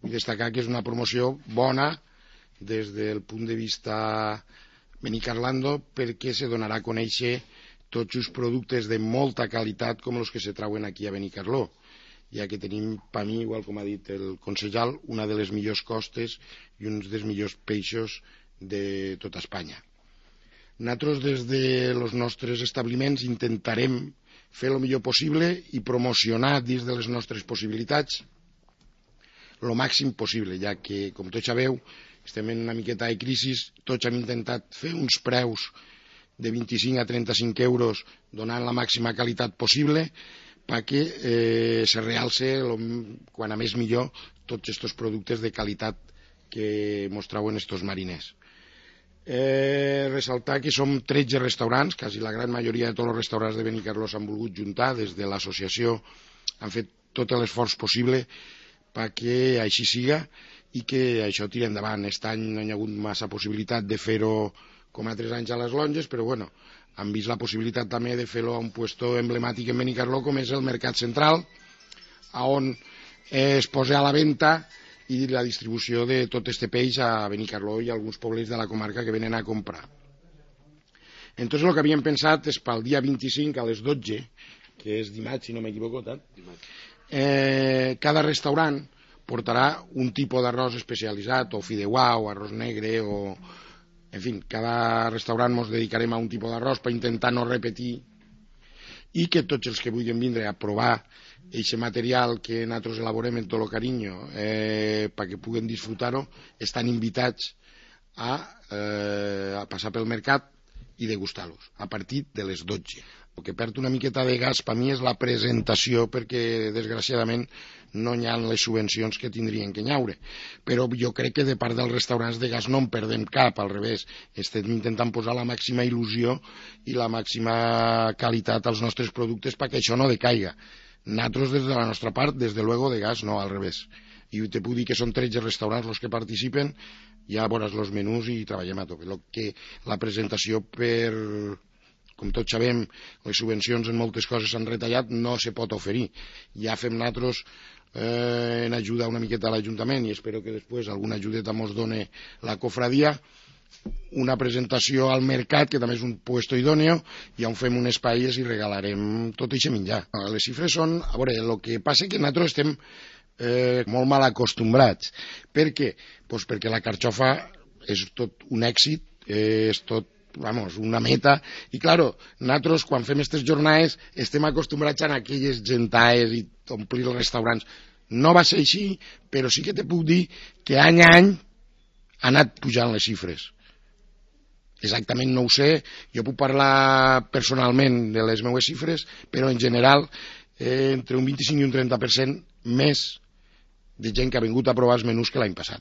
Vull destacar que és una promoció bona des del punt de vista Benicarlando, perquè se donarà a conèixer tots els productes de molta qualitat com els que se trauen aquí a Benicarló, ja que tenim, per mi, igual com ha dit el concejal, una de les millors costes i uns dels millors peixos de tota Espanya. Nosaltres des dels nostres establiments intentarem fer el millor possible i promocionar dins de les nostres possibilitats el màxim possible, ja que, com tots sabeu, estem en una miqueta de crisi, tots hem intentat fer uns preus de 25 a 35 euros donant la màxima qualitat possible perquè se realce quan a més millor tots aquests productes de qualitat que ens trauen estos mariners. Ressaltar que som 13 restaurants, quasi la gran majoria de tots els restaurants de Benicarló s'han volgut juntar, des de l'associació han fet tot l'esforç possible perquè així siga i que això tiri endavant. Aquest any no hi ha hagut massa possibilitat de fer-ho com altres anys a les longes, però bueno, han vist la possibilitat també de fer-ho a un puesto emblemàtic en Benicarló com és el Mercat Central, on es posa a la venda i la distribució de tot este peix a Benicarló i a alguns pobles de la comarca que venen a comprar. Entonces el que havíem pensat és pel dia 25 a les 12, que és dimarts, si no m'equivoco, cada restaurant portarà un tipus d'arròs especialitzat, o fideuà, o arròs negre, o... En fi, cada restaurant ens dedicarem a un tipus d'arròs per intentar no repetir i que tots els que vulguin vindre a provar aquest material que nosaltres elaborem en tot el carinyo perquè puguen disfrutar-ho, estan invitats a passar pel mercat i degustar-los a partir de les 12. El que perd una miqueta de gas per mi és la presentació, perquè desgraciadament no hi ha les subvencions que tindrien que haure, però jo crec que de part dels restaurants de gas no en perdem cap, al revés, estem intentant posar la màxima il·lusió i la màxima qualitat als nostres productes perquè això no decaiga. Nosaltres des de la nostra part, des de luego de gas no, al revés, i te puc dir que són 13 restaurants els que participen, ja veuràs els menús i treballem a tope. La presentació com tots sabem, les subvencions en moltes coses s'han retallat, no se pot oferir. Ja fem nosaltres en ajuda una miqueta a l'Ajuntament i espero que després alguna ajudeta ens doni la cofradia, una presentació al mercat, que també és un puesto idòneo, i on fem unes paelles i regalarem tot aquest menjar. Les xifres són... A veure, el que passa és que nosaltres estem molt mal acostumbrats. Per què? Doncs perquè la carxofa és tot un èxit, és tot una meta, i claro, nosaltres quan fem aquestes jornades estem acostumbrats a aquelles gentaes i omplir els restaurants. No va ser així, però sí que te puc dir que any a any ha anat pujant les xifres. Exactament no ho sé, jo puc parlar personalment de les meves xifres, però en general entre un 25 i un 30% més de gent que ha vingut a provar els menús que l'any passat.